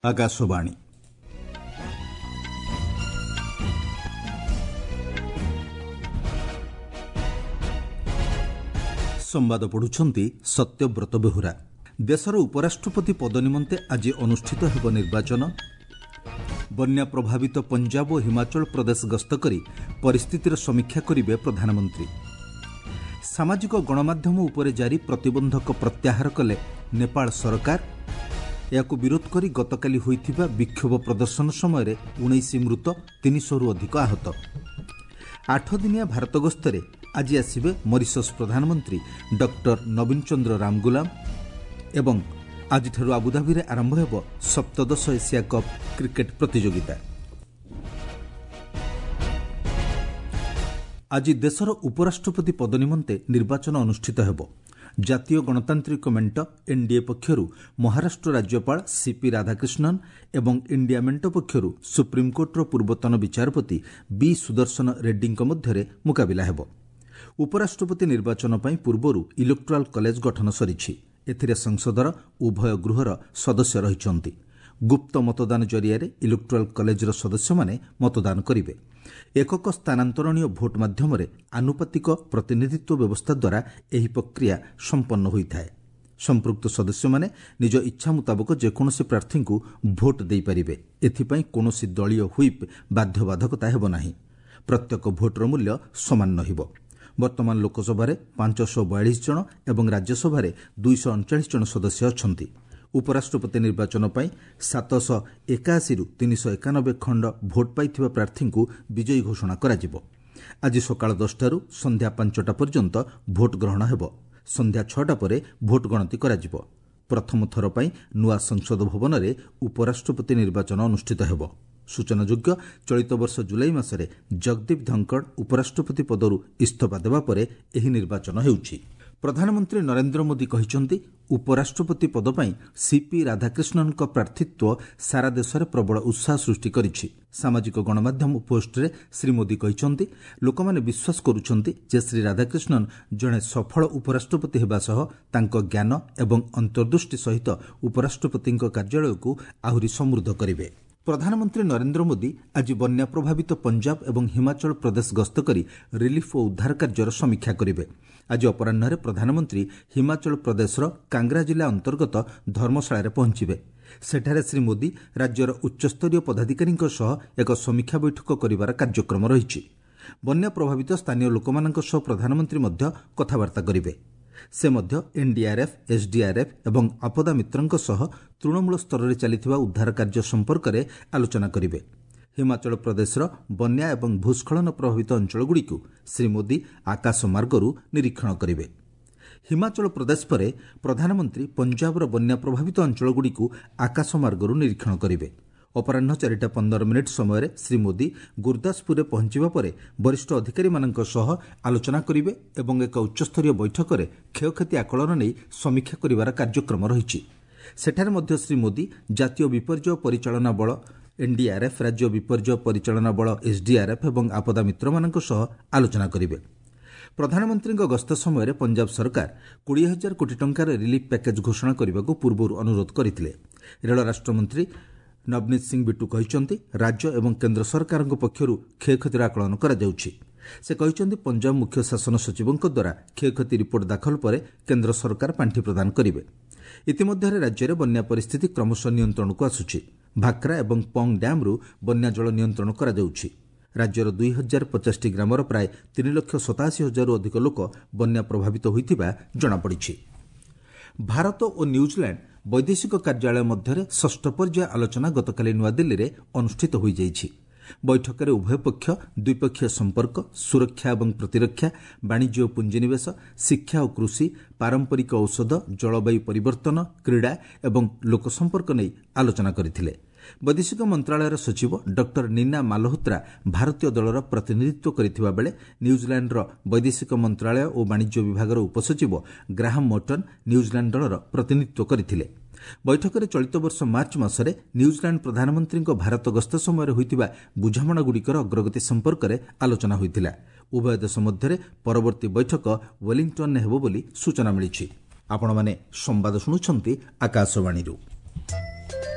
ଆକାଶବାଣୀ। ସମ୍ବାଦ ପଢୁଛନ୍ତି ସତ୍ୟବ୍ରତ ବେହୁରା। ଦେଶର ଉପରାଷ୍ଟ୍ରପତି ପଦ ନିମନ୍ତେ ଆଜି ଅନୁଷ୍ଠିତ ହେବ ନିର୍ବାଚନ। ବନ୍ୟା ପ୍ରଭାବିତ ପଞ୍ଜାବ ଓ ହିମାଚଳ ପ୍ରଦେଶ ଗସ୍ତ କରି ପରିସ୍ଥିତିର ସମୀକ୍ଷା କରିବେ ପ୍ରଧାନମନ୍ତ୍ରୀ। ସାମାଜିକ ଗଣମାଧ୍ୟମ ଉପରେ ଜାରି ପ୍ରତିବନ୍ଧକ ପ୍ରତ୍ୟାହାର କଲେ ନେପାଳ ସରକାର। ଏହାକୁ ବିରୋଧ କରି ଗତକାଲି ହୋଇଥିବା ବିକ୍ଷୋଭ ପ୍ରଦର୍ଶନ ସମୟରେ 19 ମୃତ, 300ରୁ ଅଧିକ ଆହତ। 8 ଦିନିଆ ଭାରତ ଗସ୍ତରେ ଆଜି ଆସିବେ ମରିସସ୍ ପ୍ରଧାନମନ୍ତ୍ରୀ ଡକ୍ଟର ନବୀନ ଚନ୍ଦ୍ର ରାମଗୁଲାମ ଏବଂ ଆଜିଠାରୁ ଆବୁଧାବିରେ ଆରମ୍ଭ ହେବ ସପ୍ତଦଶ ଏସିଆ କପ୍ କ୍ରିକେଟ୍ ପ୍ରତିଯୋଗିତା। ଆଜି ଦେଶର ଉପରାଷ୍ଟ୍ରପତି ପଦ ନିମନ୍ତେ ନିର୍ବାଚନ ଅନୁଷ୍ଠିତ ହେବ। ଜାତୀୟ ଗଣତାନ୍ତ୍ରିକ ମେଣ୍ଟ, ଏନ୍ଡିଏ ପକ୍ଷରୁ ମହାରାଷ୍ଟ୍ର ରାଜ୍ୟପାଳ ସିପି ରାଧାକ୍ରିଷ୍ଣନ୍ ଏବଂ ଇଣ୍ଡିଆ ମେଣ୍ଟ ପକ୍ଷରୁ ସୁପ୍ରିମକୋର୍ଟର ପୂର୍ବତନ ବିଚାରପତି ବି ସୁଦର୍ଶନ ରେଡ୍ଡୀଙ୍କ ମଧ୍ୟରେ ମୁକାବିଲା ହେବ। ଉପରାଷ୍ଟ୍ରପତି ନିର୍ବାଚନ ପାଇଁ ପୂର୍ବରୁ ଇଲେକ୍ଟୋରାଲ କଲେଜ ଗଠନ ସରିଛି। ଏଥିରେ ସଂସଦର ଉଭୟ ଗୃହର ସଦସ୍ୟ ରହିଛନ୍ତି। ଗୁପ୍ତ ମତଦାନ ଜରିଆରେ ଇଲେକ୍ଟୋରାଲ କଲେଜର ସଦସ୍ୟମାନେ ମତଦାନ କରିବେ। ଏକକ ସ୍ଥାନାନ୍ତରଣୀୟ ଭୋଟ୍ ମାଧ୍ୟମରେ ଆନୁପାତିକ ପ୍ରତିନିଧିତ୍ୱ ବ୍ୟବସ୍ଥା ଦ୍ୱାରା ଏହି ପ୍ରକ୍ରିୟା ସମ୍ପନ୍ନ ହୋଇଥାଏ। ସମ୍ପୃକ୍ତ ସଦସ୍ୟମାନେ ନିଜ ଇଚ୍ଛା ମୁତାବକ ଯେକୌଣସି ପ୍ରାର୍ଥୀଙ୍କୁ ଭୋଟ୍ ଦେଇପାରିବେ। ଏଥିପାଇଁ କୌଣସି ଦଳୀୟ ହ୍ୱିପ୍ ବାଧ୍ୟବାଧକତା ହେବ ନାହିଁ। ପ୍ରତ୍ୟେକ ଭୋଟ୍ର ମୂଲ୍ୟ ସମାନ ରହିବ। ବର୍ତ୍ତମାନ ଲୋକସଭାରେ 542 ଜଣ ଏବଂ ରାଜ୍ୟସଭାରେ 239 ଜଣ ସଦସ୍ୟ ଅଛନ୍ତି। ଉପରାଷ୍ଟ୍ରପତି ନିର୍ବାଚନ ପାଇଁ 781ରୁ 391 ଖଣ୍ଡ ଭୋଟ୍ ପାଇଥିବା ପ୍ରାର୍ଥୀଙ୍କୁ ବିଜୟୀ ଘୋଷଣା କରାଯିବ। ଆଜି ସକାଳ 10ଟାରୁ ସନ୍ଧ୍ୟା 5ଟା ପର୍ଯ୍ୟନ୍ତ ଭୋଟ୍ ଗ୍ରହଣ ହେବ। ସନ୍ଧ୍ୟା 6ଟା ପରେ ଭୋଟ୍ ଗଣତି କରାଯିବ। ପ୍ରଥମ ଥର ପାଇଁ ନୂଆ ସଂସଦ ଭବନରେ ଉପରାଷ୍ଟ୍ରପତି ନିର୍ବାଚନ ଅନୁଷ୍ଠିତ ହେବ। ସୂଚନାଯୋଗ୍ୟ, ଚଳିତ ବର୍ଷ ଜୁଲାଇ ମାସରେ ଜଗଦୀପ ଧଙ୍କଡ଼ ଉପରାଷ୍ଟ୍ରପତି ପଦରୁ ଇସ୍ତଫା ଦେବା ପରେ ଏହି ନିର୍ବାଚନ ହେଉଛି। ପ୍ରଧାନମନ୍ତ୍ରୀ ନରେନ୍ଦ୍ର ମୋଦି କହିଛନ୍ତି, ଉପରାଷ୍ଟ୍ରପତି ପଦ ପାଇଁ ସିପି ରାଧାକ୍ରିଷ୍ଣନଙ୍କ ପ୍ରାର୍ଥୀତ୍ୱ ସାରା ଦେଶରେ ପ୍ରବଳ ଉତ୍ସାହ ସୃଷ୍ଟି କରିଛି। ସାମାଜିକ ଗଣମାଧ୍ୟମ ପୋଷ୍ଟରେ ଶ୍ରୀ ମୋଦି କହିଛନ୍ତି, ଲୋକମାନେ ବିଶ୍ୱାସ କରୁଛନ୍ତି ଯେ ଶ୍ରୀ ରାଧାକ୍ରିଷ୍ଣନ ଜଣେ ସଫଳ ଉପରାଷ୍ଟ୍ରପତି ହେବା ସହ ତାଙ୍କ ଜ୍ଞାନ ଏବଂ ଅନ୍ତର୍ଦୃଷ୍ଟି ସହିତ ଉପରାଷ୍ଟ୍ରପତିଙ୍କ କାର୍ଯ୍ୟାଳୟକୁ ଆହୁରି ସମୃଦ୍ଧ କରିବେ। ପ୍ରଧାନମନ୍ତ୍ରୀ ନରେନ୍ଦ୍ର ମୋଦି ଆଜି ବନ୍ୟା ପ୍ରଭାବିତ ପଞ୍ଜାବ ଏବଂ ହିମାଚଳ ପ୍ରଦେଶ ଗସ୍ତ କରି ରିଲିଫ୍ ଓ ଉଦ୍ଧାର କାର୍ଯ୍ୟର ସମୀକ୍ଷା କରିବେ। ଆଜି ଅପରାହ୍ନରେ ପ୍ରଧାନମନ୍ତ୍ରୀ ହିମାଚଳ ପ୍ରଦେଶର କାଙ୍ଗ୍ରା ଜିଲ୍ଲା ଅନ୍ତର୍ଗତ ଧର୍ମଶାଳାରେ ପହଞ୍ଚିବେ। ସେଠାରେ ଶ୍ରୀ ମୋଦି ରାଜ୍ୟର ଉଚ୍ଚସ୍ତରୀୟ ପଦାଧିକାରୀଙ୍କ ସହ ଏକ ସମୀକ୍ଷା ବୈଠକ କରିବାର କାର୍ଯ୍ୟକ୍ରମ ରହିଛି। ବନ୍ୟା ପ୍ରଭାବିତ ସ୍ଥାନୀୟ ଲୋକମାନଙ୍କ ସହ ପ୍ରଧାନମନ୍ତ୍ରୀ ମଧ୍ୟ କଥାବାର୍ତ୍ତା କରିବେ। ସେ ମଧ୍ୟ ଏନ୍ଡିଆର୍ଏଫ୍, ଏସ୍ଡିଆର୍ଏଫ୍ ଏବଂ ଆପଦା ମିତ୍ରଙ୍କ ସହ ତୃଣମୂଳ ସ୍ତରରେ ଚାଲିଥିବା ଉଦ୍ଧାର କାର୍ଯ୍ୟ ସମ୍ପର୍କରେ ଆଲୋଚନା କରିବେ। ହିମାଚଳ ପ୍ରଦେଶର ବନ୍ୟା ଏବଂ ଭୂସ୍ଖଳନ ପ୍ରଭାବିତ ଅଞ୍ଚଳଗୁଡ଼ିକୁ ଶ୍ରୀ ମୋଦି ଆକାଶମାର୍ଗରୁ ନିରୀକ୍ଷଣ କରିବେ। ହିମାଚଳ ପ୍ରଦେଶ ପରେ ପ୍ରଧାନମନ୍ତ୍ରୀ ପଞ୍ଜାବର ବନ୍ୟା ପ୍ରଭାବିତ ଅଞ୍ଚଳଗୁଡ଼ିକୁ ଆକାଶମାର୍ଗରୁ ନିରୀକ୍ଷଣ କରିବେ। ଅପରାହ୍ନ 4ଟା 15 ମିନିଟ୍ ସମୟରେ ଶ୍ରୀ ମୋଦି ଗୁରୁଦାସପୁରରେ ପହଞ୍ଚିବା ପରେ ବରିଷ୍ଠ ଅଧିକାରୀମାନଙ୍କ ସହ ଆଲୋଚନା କରିବେ ଏବଂ ଏକ ଉଚ୍ଚସ୍ତରୀୟ ବୈଠକରେ କ୍ଷୟକ୍ଷତି ଆକଳନ ନେଇ ସମୀକ୍ଷା କରିବାର କାର୍ଯ୍ୟକ୍ରମ ରହିଛି। ସେଠାରେ ମଧ୍ୟ ଶ୍ରୀ ମୋଦି ଜାତୀୟ ବିପର୍ଯ୍ୟୟ ପରିଚାଳନା ବଳ, ଏନ୍ଡିଆର୍ଏଫ୍, ରାଜ୍ୟ ବିପର୍ଯ୍ୟୟ ପରିଚାଳନା ବଳ, ଏସ୍ଡିଆର୍ଏଫ୍ ଏବଂ ଆପଦା ମିତ୍ରମାନଙ୍କ ସହ ଆଲୋଚନା କରିବେ। ପ୍ରଧାନମନ୍ତ୍ରୀଙ୍କ ଗସ୍ତ ସମୟରେ ପଞ୍ଜାବ ସରକାର 20,000 କୋଟି ଟଙ୍କାର ରିଲିଫ୍ ପ୍ୟାକେଜ୍ ଘୋଷଣା କରିବାକୁ ପୂର୍ବରୁ ଅନୁରୋଧ କରିଥିଲେ। ରେଳ ରାଷ୍ଟ୍ରମନ୍ତ୍ରୀ ନବନୀତ ସିଂ ବିଟ୍ଟୁ କହିଛନ୍ତି, ରାଜ୍ୟ ଏବଂ କେନ୍ଦ୍ର ସରକାରଙ୍କ ପକ୍ଷରୁ କ୍ଷୟକ୍ଷତିର ଆକଳନ କରାଯାଉଛି। ସେ କହିଛନ୍ତି, ପଞ୍ଜାବ ମୁଖ୍ୟ ଶାସନ ସଚିବଙ୍କ ଦ୍ୱାରା କ୍ଷୟକ୍ଷତି ରିପୋର୍ଟ ଦାଖଲ ପରେ କେନ୍ଦ୍ର ସରକାର ପାଣ୍ଠି ପ୍ରଦାନ କରିବେ। ଇତିମଧ୍ୟରେ ରାଜ୍ୟରେ ବନ୍ୟା ପରିସ୍ଥିତି କ୍ରମଶଃ ନିୟନ୍ତ୍ରଣକୁ ଆସୁଛି। ଭାକ୍ରା ଏବଂ ପଙ୍ଗ ଡ୍ୟାମ୍ରୁ ବନ୍ୟା ଜଳ ନିୟନ୍ତ୍ରଣ କରାଯାଉଛି। ରାଜ୍ୟର 2050ଟି ଗ୍ରାମର ପ୍ରାୟ 3,87,000ରୁ ଅଧିକ ଲୋକ ବନ୍ୟା ପ୍ରଭାବିତ ହୋଇଥିବା ଜଣାପଡ଼ିଛି। ଭାରତ ଓ ନ୍ୟୁଜିଲାଣ୍ଡ ବୈଦେଶିକ କାର୍ଯ୍ୟାଳୟ ମଧ୍ୟରେ ଷଷ୍ଠ ପର୍ଯ୍ୟାୟ ଆଲୋଚନା ଗତକାଲି ନୂଆଦିଲ୍ଲୀରେ ଅନୁଷ୍ଠିତ ହୋଇଯାଇଛି। ବୈଠକରେ ଉଭୟ ପକ୍ଷ ଦ୍ୱିପକ୍ଷୀୟ ସମ୍ପର୍କ, ସୁରକ୍ଷା ଏବଂ ପ୍ରତିରକ୍ଷା, ବାଣିଜ୍ୟ ଓ ପୁଞ୍ଜିନିବେଶ, ଶିକ୍ଷା ଓ କୃଷି, ପାରମ୍ପରିକ ଔଷଧ, ଜଳବାୟୁ ପରିବର୍ତ୍ତନ, କ୍ରୀଡ଼ା ଏବଂ ଲୋକସମ୍ପର୍କ ନେଇ ଆଲୋଚନା କରିଥିଲେ। ବୈଦେଶିକ ମନ୍ତ୍ରଣାଳୟର ସଚିବ ଡକ୍ଟର ନୀନା ମାଲହୋତ୍ରା ଭାରତୀୟ ଦଳର ପ୍ରତିନିଧିତ୍ୱ କରିଥିବା ବେଳେ ନ୍ୟୁଜିଲାଣ୍ଡର ବୈଦେଶିକ ମନ୍ତ୍ରଣାଳୟ ଓ ବାଣିଜ୍ୟ ବିଭାଗର ଉପସଚିବ ଗ୍ରାହମ୍ ମର୍ଟନ୍ ନ୍ୟୁଜିଲାଣ୍ଡ ଦଳର ପ୍ରତିନିଧିତ୍ୱ କରିଥିଲେ। ବୈଠକରେ ଚଳିତ ବର୍ଷ ମାର୍ଚ୍ଚ ମାସରେ ନ୍ୟୁଜିଲାଣ୍ଡ ପ୍ରଧାନମନ୍ତ୍ରୀଙ୍କ ଭାରତ ଗସ୍ତ ସମୟରେ ହୋଇଥିବା ବୁଝାମଣାଗୁଡ଼ିକର ଅଗ୍ରଗତି ସମ୍ପର୍କରେ ଆଲୋଚନା ହୋଇଥିଲା। ଉଭୟ ଦେଶ ମଧ୍ୟରେ ପରବର୍ତ୍ତୀ ବୈଠକ ୱେଲିଂଟନ୍ରେ ହେବ ବୋଲି ସୂଚନା ମିଳିଛି। ଆପଣମାନେ ସମ୍ବାଦ ଶୁଣୁଛନ୍ତି ଆକାଶବାଣୀରୁ।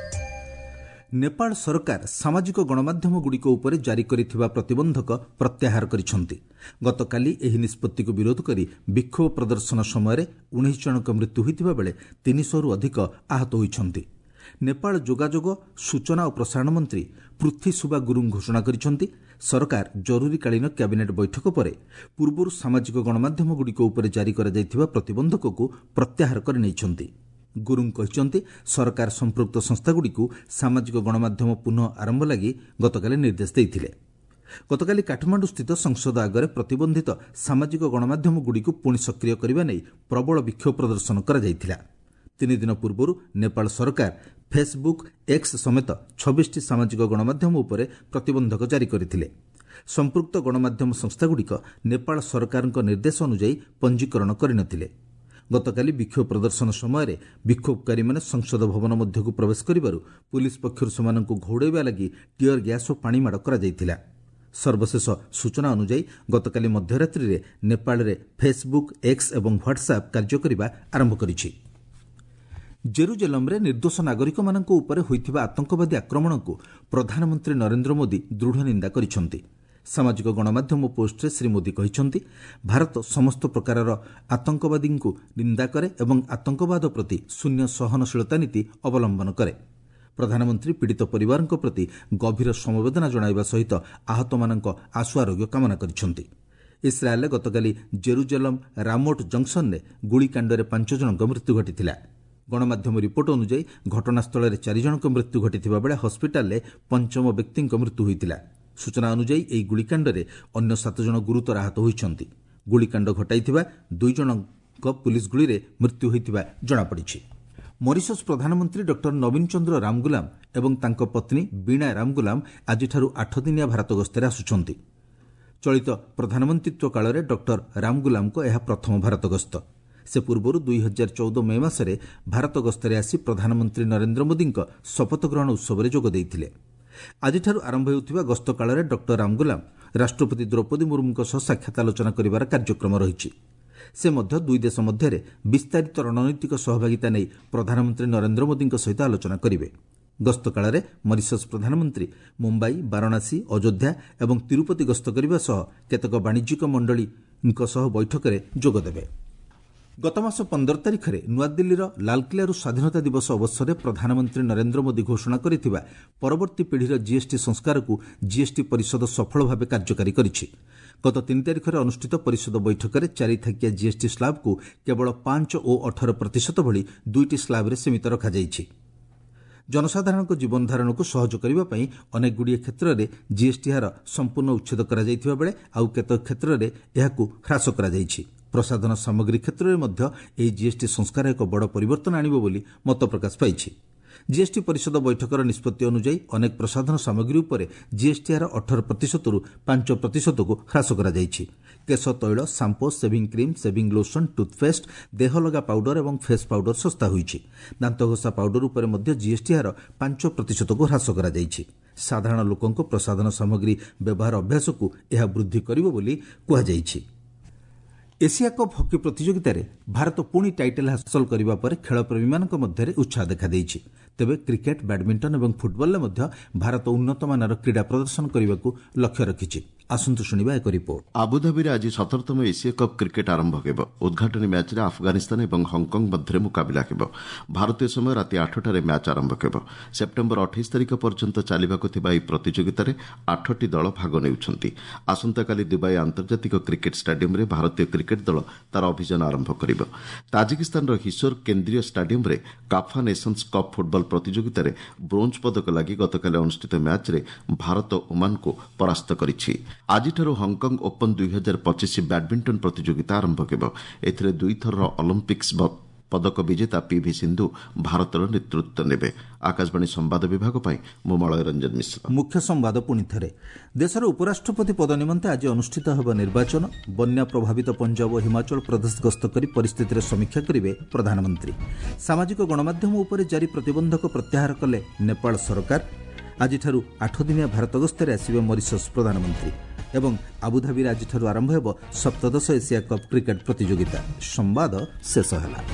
ନେପାଳ ସରକାର ସାମାଜିକ ଗଣମାଧ୍ୟମଗୁଡ଼ିକ ଉପରେ ଜାରି କରିଥିବା ପ୍ରତିବନ୍ଧକ ପ୍ରତ୍ୟାହାର କରିଛନ୍ତି। ଗତକାଲି ଏହି ନିଷ୍ପତ୍ତିକୁ ବିରୋଧ କରି ବିକ୍ଷୋଭ ପ୍ରଦର୍ଶନ ସମୟରେ 19 ଜଣଙ୍କ ମୃତ୍ୟୁ ହୋଇଥିବା ବେଳେ 300ରୁ ଅଧିକ ଆହତ ହୋଇଛନ୍ତି। ନେପାଳ ଯୋଗାଯୋଗ, ସୂଚନା ଓ ପ୍ରସାରଣ ମନ୍ତ୍ରୀ ପୃଥ୍ୱୀ ସୁବା ଗୁରୁଂ ଘୋଷଣା କରିଛନ୍ତି, ସରକାର ଜରୁରୀକାଳୀନ କ୍ୟାବିନେଟ୍ ବୈଠକ ପରେ ପୂର୍ବରୁ ସାମାଜିକ ଗଣମାଧ୍ୟମଗୁଡ଼ିକ ଉପରେ ଜାରି କରାଯାଇଥିବା ପ୍ରତିବନ୍ଧକକୁ ପ୍ରତ୍ୟାହାର କରିନେଇଛନ୍ତି। ଗୁରୁଂ କହିଛନ୍ତି, ସରକାର ସମ୍ପୃକ୍ତ ସଂସ୍ଥାଗୁଡ଼ିକୁ ସାମାଜିକ ଗଣମାଧ୍ୟମ ପୁନଃ ଆରମ୍ଭ ଲାଗି ଗତକାଲି ନିର୍ଦ୍ଦେଶ ଦେଇଥିଲେ। ଗତକାଲି କାଠମାଣ୍ଡୁସ୍ଥିତ ସଂସଦ ଆଗରେ ପ୍ରତିବନ୍ଧିତ ସାମାଜିକ ଗଣମାଧ୍ୟମଗୁଡ଼ିକୁ ପୁଣି ସକ୍ରିୟ କରିବା ନେଇ ପ୍ରବଳ ବିକ୍ଷୋଭ ପ୍ରଦର୍ଶନ କରାଯାଇଥିଲା। 3 ଦିନ ପୂର୍ବରୁ ନେପାଳ ସରକାର ଫେସ୍ବୁକ୍, ଏକ୍ସ ସମେତ 26ଟି ସାମାଜିକ ଗଣମାଧ୍ୟମ ଉପରେ ପ୍ରତିବନ୍ଧକ ଜାରି କରିଥିଲେ। ସମ୍ପୃକ୍ତ ଗଣମାଧ୍ୟମ ସଂସ୍ଥାଗୁଡ଼ିକ ନେପାଳ ସରକାରଙ୍କ ନିର୍ଦ୍ଦେଶ ଅନୁଯାୟୀ ପଞ୍ଜୀକରଣ କରିନଥିଲେ। ଗତକାଲି ବିକ୍ଷୋଭ ପ୍ରଦର୍ଶନ ସମୟରେ ବିକ୍ଷୋଭକାରୀମାନେ ସଂସଦ ଭବନ ମଧ୍ୟକୁ ପ୍ରବେଶ କରିବାରୁ ପୁଲିସ୍ ପକ୍ଷରୁ ସେମାନଙ୍କୁ ଘଉଡ଼ାଇବା ଲାଗି ଟିୟର ଗ୍ୟାସ୍ ଓ ପାଣିମାଡ଼ କରାଯାଇଥିଲା। ସର୍ବଶେଷ ସୂଚନା ଅନୁଯାୟୀ ଗତକାଲି ମଧ୍ୟରାତ୍ରିରେ ନେପାଳରେ ଫେସ୍ବୁକ୍, ଏକ୍ସ ଏବଂ ହ୍ୱାଟ୍ସଆପ୍ କାର୍ଯ୍ୟ କରିବା ଆରମ୍ଭ କରିଛି। ଜେରୁଜେଲମ୍ରେ ନିର୍ଦ୍ଦୋଷ ନାଗରିକମାନଙ୍କ ଉପରେ ହୋଇଥିବା ଆତଙ୍କବାଦୀ ଆକ୍ରମଣକୁ ପ୍ରଧାନମନ୍ତ୍ରୀ ନରେନ୍ଦ୍ର ମୋଦି ଦୃଢ଼ ନିନ୍ଦା କରିଛନ୍ତି। ସାମାଜିକ ଗଣମାଧ୍ୟମ ପୋଷ୍ଟରେ ଶ୍ରୀ ମୋଦି କହିଛନ୍ତି, ଭାରତ ସମସ୍ତ ପ୍ରକାରର ଆତଙ୍କବାଦୀଙ୍କୁ ନିନ୍ଦା କରେ ଏବଂ ଆତଙ୍କବାଦ ପ୍ରତି ଶୂନ୍ୟ ସହନଶୀଳତା ନୀତି ଅବଲମ୍ବନ କରେ। ପ୍ରଧାନମନ୍ତ୍ରୀ ପୀଡ଼ିତ ପରିବାରଙ୍କ ପ୍ରତି ଗଭୀର ସମବେଦନା ଜଣାଇବା ସହିତ ଆହତମାନଙ୍କ ଆଶୁ ଆରୋଗ୍ୟ କାମନା କରିଛନ୍ତି। ଇସ୍ରାଏଲ୍ରେ ଗତକାଲି ଜେରୁଜେଲମ୍ ରାମୋଟ୍ ଜଙ୍କସନ୍ରେ ଗୁଳିକାଣ୍ଡରେ 5 ଜଣଙ୍କ ମୃତ୍ୟୁ ଘଟିଥିଲା। ଗଣମାଧ୍ୟମ ରିପୋର୍ଟ ଅନୁଯାୟୀ ଘଟଣାସ୍ଥଳରେ 4 ଜଣଙ୍କ ମୃତ୍ୟୁ ଘଟିଥିବା ବେଳେ ହସ୍ପିଟାଲରେ ପଞ୍ଚମ ବ୍ୟକ୍ତିଙ୍କ ମୃତ୍ୟୁ ହୋଇଥିଲା। ସୂଚନା ଅନୁଯାୟୀ ଏହି ଗୁଳିକାଣ୍ଡରେ ଅନ୍ୟ 7 ଜଣ ଗୁରୁତର ଆହତ ହୋଇଛନ୍ତି। ଗୁଳିକାଣ୍ଡ ଘଟାଇଥିବା 2 ଜଣଙ୍କ ପୁଲିସ୍ ଗୁଳିରେ ମୃତ୍ୟୁ ହୋଇଥିବା ଜଣାପଡ଼ିଛି। ମରିସସ୍ ପ୍ରଧାନମନ୍ତ୍ରୀ ଡକ୍ଟର ନବୀନ ଚନ୍ଦ୍ର ରାମଗୁଲାମ ଏବଂ ତାଙ୍କ ପତ୍ନୀ ବୀଣା ରାମଗୁଲାମ ଆଜିଠାରୁ 8 ଦିନିଆ ଭାରତ ଗସ୍ତରେ ଆସୁଛନ୍ତି। ଚଳିତ ପ୍ରଧାନମନ୍ତ୍ରୀତ୍ୱ କାଳରେ ଡକ୍ଟର ରାମଗୁଲାମଙ୍କ ଏହା ପ୍ରଥମ ଭାରତ ଗସ୍ତ। ସେ ପୂର୍ବରୁ 2014 ମେ ମାସରେ ଭାରତ ଗସ୍ତରେ ଆସି ପ୍ରଧାନମନ୍ତ୍ରୀ ନରେନ୍ଦ୍ର ମୋଦିଙ୍କ ଶପଥ ଗ୍ରହଣ ଉତ୍ସବରେ ଯୋଗ ଦେଇଥିଲେ। ଆଜିଠାରୁ ଆରମ୍ଭ ହେଉଥିବା ଗସ୍ତ କାଳରେ ଡକ୍ଟର ରାମଗୁଲାମ ରାଷ୍ଟ୍ରପତି ଦ୍ରୌପଦୀ ମୁର୍ମୁଙ୍କ ସହ ସାକ୍ଷାତ ଆଲୋଚନା କରିବାର କାର୍ଯ୍ୟକ୍ରମ ରହିଛି। ସେ ମଧ୍ୟ ଦୁଇ ଦେଶ ମଧ୍ୟରେ ବିସ୍ତାରିତ ରଣନୈତିକ ସହଭାଗିତା ନେଇ ପ୍ରଧାନମନ୍ତ୍ରୀ ନରେନ୍ଦ୍ର ମୋଦିଙ୍କ ସହିତ ଆଲୋଚନା କରିବେ। ଗସ୍ତ କାଳରେ ମରିସସ୍ ପ୍ରଧାନମନ୍ତ୍ରୀ ମୁମ୍ବାଇ, ବାରାଣସୀ, ଅଯୋଧ୍ୟା ଏବଂ ତିରୁପତି ଗସ୍ତ କରିବା ସହ କେତେକ ବାଣିଜ୍ୟିକ ମଣ୍ଡଳୀଙ୍କ ସହ ବୈଠକରେ ଯୋଗଦେବେ। ଗତମାସ 15 ତାରିଖରେ ନୂଆଦିଲ୍ଲୀର ଲାଲକିଲ୍ଲାରୁ ସ୍ୱାଧୀନତା ଦିବସ ଅବସରରେ ପ୍ରଧାନମନ୍ତ୍ରୀ ନରେନ୍ଦ୍ର ମୋଦି ଘୋଷଣା କରିଥିବା ପରବର୍ତ୍ତୀ ପିଢ଼ିର ଜିଏସ୍ଟି ସଂସ୍କାରକୁ ଜିଏସ୍ଟି ପରିଷଦ ସଫଳ ଭାବେ କାର୍ଯ୍ୟକାରୀ କରିଛି। ଗତ 3 ତାରିଖରେ ଅନୁଷ୍ଠିତ ପରିଷଦ ବୈଠକରେ 4 ଥାକିଆ ଜିଏସ୍ଟି ସ୍ଲାବ୍କୁ କେବଳ 5 ଓ 18% ଭଳି 2ଟି ସ୍ଲାବ୍ରେ ସୀମିତ ରଖାଯାଇଛି। ଜନସାଧାରଣଙ୍କ ଜୀବନଧାରଣକୁ ସହଜ କରିବା ପାଇଁ ଅନେକଗୁଡ଼ିଏ କ୍ଷେତ୍ରରେ ଜିଏସ୍ଟି ହାର ସମ୍ପୂର୍ଣ୍ଣ ଉଚ୍ଛେଦ କରାଯାଇଥିବା ବେଳେ ଆଉ କେତେକ କ୍ଷେତ୍ରରେ ଏହାକୁ ହ୍ରାସ କରାଯାଇଛି। ପ୍ରସାଧନ ସାମଗ୍ରୀ କ୍ଷେତ୍ରରେ ମଧ୍ୟ ଏହି ଜିଏସ୍ଟି ସଂସ୍କାର ଏକ ବଡ଼ ପରିବର୍ତ୍ତନ ଆଣିବ ବୋଲି ମତ ପ୍ରକାଶ ପାଇଛି। ଜିଏସ୍ଟି ପରିଷଦ ବୈଠକର ନିଷ୍ପତ୍ତି ଅନୁଯାୟୀ ଅନେକ ପ୍ରସାଧନ ସାମଗ୍ରୀ ଉପରେ ଜିଏସ୍ଟି ହାର 18%ରୁ 5%କୁ ହ୍ରାସ କରାଯାଇଛି। କେଶ ତୈଳ, shampoo, shaving cream, shaving lotion, toothpaste, ଦେହଲଗା powder ଏବଂ ଫେସ୍ ପାଉଡର ଶସ୍ତା ହୋଇଛି। ଦାନ୍ତଘଷା ପାଉଡର ଉପରେ ମଧ୍ୟ ଜିଏସ୍ଟି ହାର 5%କୁ ହ୍ରାସ କରାଯାଇଛି। ସାଧାରଣ ଲୋକଙ୍କ ପ୍ରସାଧନ ସାମଗ୍ରୀ ବ୍ୟବହାର ଅଭ୍ୟାସକୁ ଏହା ବୃଦ୍ଧି କରିବ ବୋଲି କୁହାଯାଇଛି। ଏସିଆ କପ୍ ହକି ପ୍ରତିଯୋଗିତାରେ ଭାରତ ପୁଣି ଟାଇଟଲ୍ ହାସଲ କରିବା ପରେ ଖେଳପ୍ରେମୀମାନଙ୍କ ମଧ୍ୟରେ ଉତ୍ସାହ ଦେଖାଦେଇଛି। ତେବେ କ୍ରିକେଟ୍, ବ୍ୟାଡମିଣ୍ଟନ ଏବଂ ଫୁଟବଲରେ ମଧ୍ୟ ଭାରତ ଉନ୍ନତମାନର କ୍ରୀଡ଼ା ପ୍ରଦର୍ଶନ କରିବାକୁ ଲକ୍ଷ୍ୟ ରଖିଛି। ଆସନ୍ତୁ ଶୁଣିବା ଏକ ରିପୋର୍ଟ। ଆବୁଧାବିରେ ଆଜି 17ତମ ଏସିଆ କପ୍ କ୍ରିକେଟ୍ ଆରମ୍ଭ ହେବ। ଉଦ୍ଘାଟନୀ ମ୍ୟାଚ୍ରେ ଆଫଗାନିସ୍ତାନ ଏବଂ ହଂକଂ ମଧ୍ୟରେ ମୁକାବିଲା ହେବ। ଭାରତୀୟ ସମୟ ରାତି 8ଟାରେ ମ୍ୟାଚ୍ ଆରମ୍ଭ ହେବ। ସେପ୍ଟେମ୍ବର 28 ତାରିଖ ପର୍ଯ୍ୟନ୍ତ ଚାଲିବାକୁ ଥିବା ଏହି ପ୍ରତିଯୋଗିତାରେ 8ଟି ଦଳ ଭାଗ ନେଉଛନ୍ତି। ଆସନ୍ତାକାଲି ଦୁବାଇ ଆନ୍ତର୍ଜାତିକ କ୍ରିକେଟ୍ ଷ୍ଟାଡିୟମ୍ରେ ଭାରତୀୟ କ୍ରିକେଟ୍ ଦଳ ତାର ଅଭିଯାନ ଆରମ୍ଭ କରିବ। ତାଜିକିସ୍ତାନର ହିସୋର କେନ୍ଦ୍ରୀୟ ଷ୍ଟାଡିୟମ୍ରେ କାଫା ନେସନ୍ସ କପ୍ ଫୁଟବଲ ପ୍ରତିଯୋଗିତାରେ ବ୍ରୋଞ୍ଜ ପଦକ ଲାଗି ଗତକାଲି ଅନୁଷ୍ଠିତ ମ୍ୟାଚ୍ରେ ଭାରତ ଓମାନକୁ ପରାସ୍ତ କରିଛି। ଆଜିଠାରୁ ହଂକଂ ଓପନ୍ 2025 ବ୍ୟାଡମିଣ୍ଟନ ପ୍ରତିଯୋଗିତା ଆରମ୍ଭ ହେବ। ଏଥିରେ ଦୁଇଥରର ଅଲିମ୍ପିକ୍ସ ପଦକ ବିଜେତା ପିଭି ସିନ୍ଧୁ ଭାରତର ନେତୃତ୍ୱ ନେବେ। ଆକାଶବାଣୀ ସମ୍ବାଦ ବିଭାଗ ପାଇଁ ମୁଁ ମଳୟ ରଞ୍ଜନ ମିଶ୍ର। ମୁଖ୍ୟ ସମ୍ବାଦ ପୁଣି ଥରେ। ଦେଶର ଉପରାଷ୍ଟ୍ରପତି ପଦ ନିମନ୍ତେ ଆଜି ଅନୁଷ୍ଠିତ ହେବ ନିର୍ବାଚନ। ବନ୍ୟା ପ୍ରଭାବିତ ପଞ୍ଜାବ ଓ ହିମାଚଳ ପ୍ରଦେଶ ଗସ୍ତ କରି ପରିସ୍ଥିତିର ସମୀକ୍ଷା କରିବେ ପ୍ରଧାନମନ୍ତ୍ରୀ। ସାମାଜିକ ଗଣମାଧ୍ୟମ ଉପରେ ଜାରି ପ୍ରତିବନ୍ଧକ ପ୍ରତ୍ୟାହାର କଲେ ନେପାଳ ସରକାର। ଆଜିଠାରୁ 8 ଦିନିଆ ଭାରତ ଗସ୍ତରେ ଆସିବେ ମରିସସ୍ ପ୍ରଧାନମନ୍ତ୍ରୀ। ଏବଂ ଆବୁଧାବିରେ ଆଜିଠାରୁ ଆରମ୍ଭ ହେବ 17ଶ ଏସିଆ କପ୍ କ୍ରିକେଟ୍ ପ୍ରତିଯୋଗିତା। ସମ୍ବାଦ ଶେଷ ହେଲା।